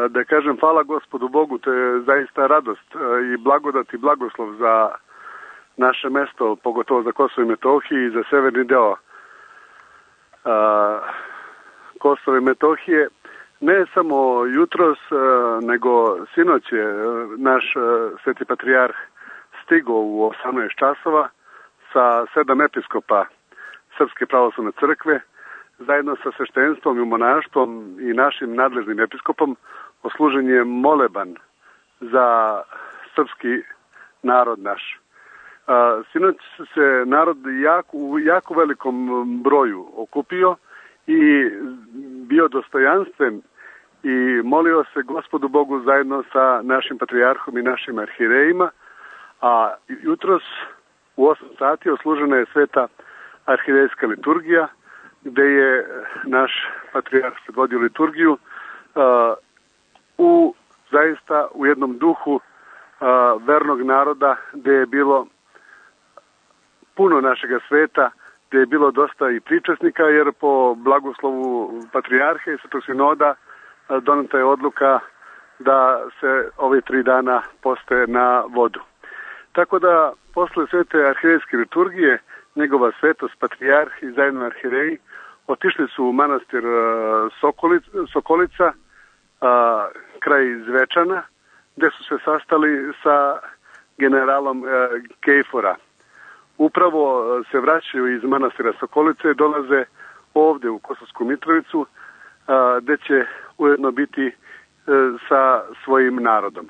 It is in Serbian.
da kažem hvala Gospodu Bogu, to je zaista radost i blagodat i blagoslov za naše mesto, pogotovo za Kosovo i Metohiju i za severni deo Kosova i Metohije. Ne samo jutros, nego sinoć je naš sveti patrijarh stigao u 18 časova sa 7 episkopa Srpske pravoslavne crkve, zajedno sa sveštenstvom i monaštvom i našim nadležnim episkopom, oslužen je moleban za srpski narod naš. Sinoć se narod u jako velikom broju okupio i bio dostojanstven i molio se Gospodu Bogu zajedno sa našim patrijarhom i našim arhirejima, a jutros u 8 sati oslužena je sveta arhirejska liturgija, gde je naš patrijarh predvodio liturgiju zaista u jednom duhu vernog naroda, gde je bilo puno našega sveta, gde je bilo dosta i pričasnika, jer po blagoslovu patrijarhe i Svetog sinoda doneta je odluka da se ove 3 dana poste na vodu. Tako da, posle svete arhirejske liturgije, njegova svetost, patrijarh i zajedno arhireji otišli su u manastir Sokolica, kraj Zvečana, gde su se sastali sa generalom Kejfora. Upravo se vraćaju iz manastira Sokolice i dolaze ovde u Kosovsku Mitrovicu, gde će ujedno biti sa svojim narodom.